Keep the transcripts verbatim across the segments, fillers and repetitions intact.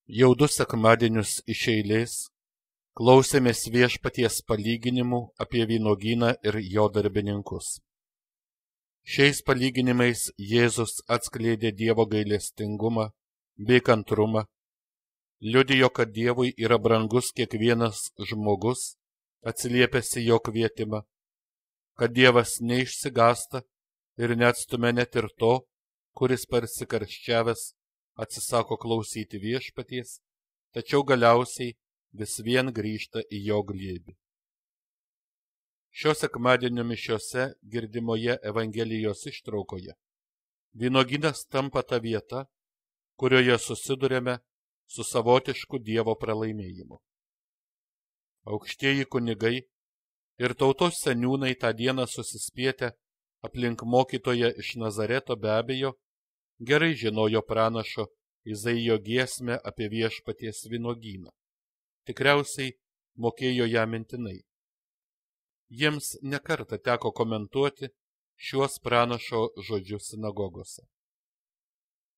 Jau du sekmadienius iš eilės klausėmės Viešpaties palyginimų apie vynuogyną ir jo darbininkus. Šiais palyginimais Jėzus atskleidė Dievo gailestingumą bei kantrumą, liudijo, kad Dievui yra brangus kiekvienas žmogus, atsiliepęs į jo kvietimą, kad Dievas neišsigąsta ir neatstumia net ir to, kuris persikarščiavęs atsisako klausyti Viešpaties, tačiau galiausiai vis vien grįžta į jo glėbį. Šio sekmadienio mišiose girdimoje Evangelijos ištraukoje vynuogynas tampa ta vieta, kurioje susidurėme su savotišku Dievo pralaimėjimu. Aukštieji kunigai ir tautos seniūnai tą dieną susispietę aplink mokytoją iš Nazareto be abejo gerai žinojo pranašo Izaijo giesmę apie Viešpaties vynuogyną. Tikriausiai mokėjo ją mintinai. Jiems nekartą teko komentuoti šiuos pranašo žodžius sinagogose.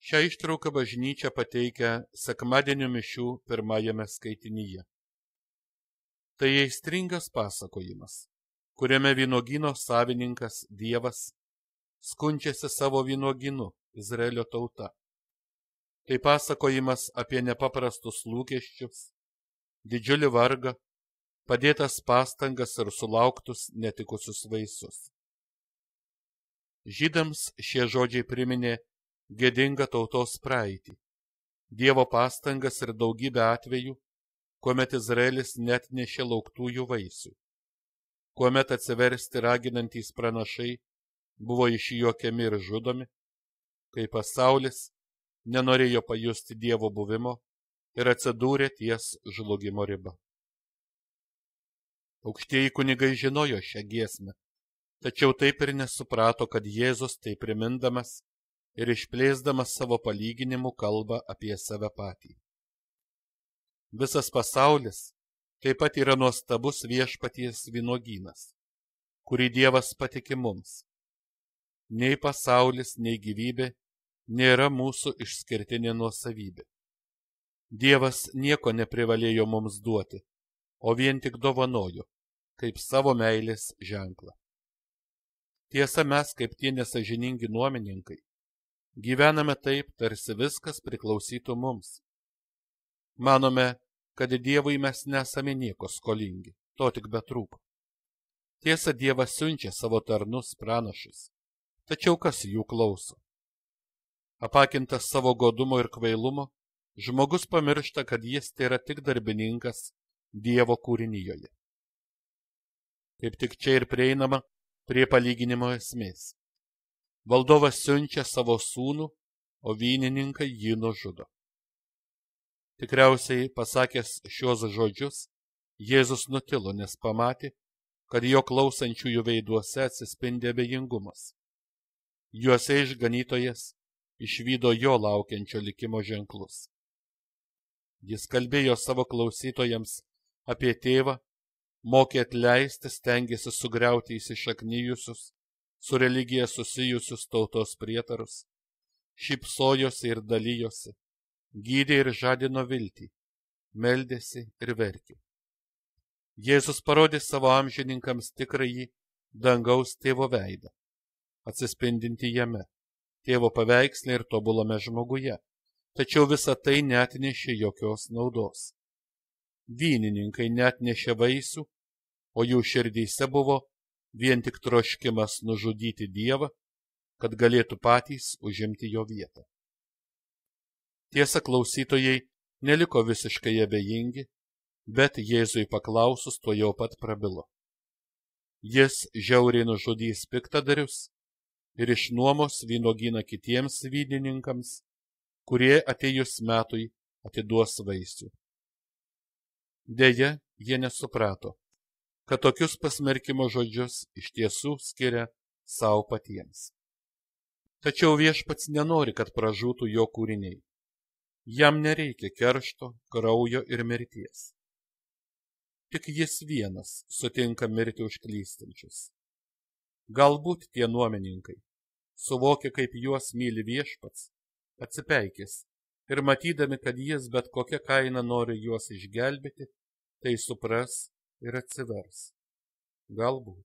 Šią ištrauką bažnyčia pateikia sekmadienio mišių pirmajame skaitinyje. Tai aistringas pasakojimas, kuriame vynuogyno savininkas Dievas skundžiasi savo vynuogynu Izraelio tauta. Tai pasakojimas apie nepaprastus lūkesčius, didžiulį vargą, padėtas pastangas ir sulauktus netikusius vaisius. Žydams šie žodžiai priminė gėdingą tautos praeitį, Dievo pastangas ir daugybę atvejų, kuomet Izraelis net nešė lauktųjų vaisių, kuomet atsiversti raginantys pranašai buvo išjuokiami ir žudomi, kai pasaulis nenorėjo pajusti Dievo buvimo ir atsidūrė ties žlugimo riba. Aukštieji kunigai žinojo šią giesmę, tačiau taip ir nesuprato, kad Jėzus tai primindamas ir išplėsdamas savo palyginimų kalba apie save patį. Visas pasaulis taip pat yra nuostabus Viešpaties vynuogynas, kurį Dievas patiki mums. Nei pasaulis, nei gyvybė nėra mūsų išskirtinė nuosavybė. Dievas nieko neprivalėjo mums duoti, o vien tik dovanojo, kaip savo meilės ženklą. Tiesa, mes, kaip tie nesąžiningi nuomininkai, gyvename taip, tarsi viskas priklausytų mums. Manome, kad Dievui mes nesame nieko skolingi, to tik betrūko. Tiesa, Dievas siunčia savo tarnus pranašus, tačiau kas jų klauso? Apakintas savo godumo ir kvailumo, žmogus pamiršta, kad jis tai yra tik darbininkas Dievo kūrinijoje. Kaip tik čia ir prieinama prie palyginimo esmės. Valdovas siunčia savo sūnų, o vynininkai jį nužudo. Tikriausiai pasakęs šios žodžius, Jėzus nutilo, nes pamatė, kad jo klausančiųjų veiduose atsispindi abejingumas. Juose išganytojas išvydo jo laukiančio likimo ženklus. Jis kalbėjo savo klausytojams apie tėvą, mokė atleisti, stengėsi sugriauti įsišaknijusius, su religija susijusius tautos prietarus, šypsojosi ir dalijosi, gydė ir žadino viltį, meldėsi ir verkė. Jėzus parodė savo amžininkams tikrąjį dangaus tėvo veidą, atsispindinti jame, tėvo paveiksle ir tobulame žmoguje, tačiau visa tai neatnešė jokios naudos. Vynininkai neatnešė vaisių, o jų širdyse buvo vien tik troškimas nužudyti Dievą, kad galėtų patys užimti jo vietą. Tiesa, klausytojai neliko visiškai abejingi, bet Jėzui paklausus tuojau pat prabilo. Jis žiauriai nužudys piktadarius ir išnuomos vynuogyną kitiems vynininkams, kurie atėjus metui atiduos vaisių. Deja, jie nesuprato, kad tokius pasmerkimo žodžius iš tiesų skiria savo patiems. Tačiau Viešpats nenori, kad pražūtų jo kūriniai. Jam nereikia keršto, kraujo ir mirties. Tik jis vienas sutinka mirti už klystančius. Galbūt tie nuomininkai, suvokia, kaip juos myli Viešpats, atsipeikės ir matydami, kad jis bet kokia kaina nori juos išgelbėti, tai supras ir atsivers. Galbūt.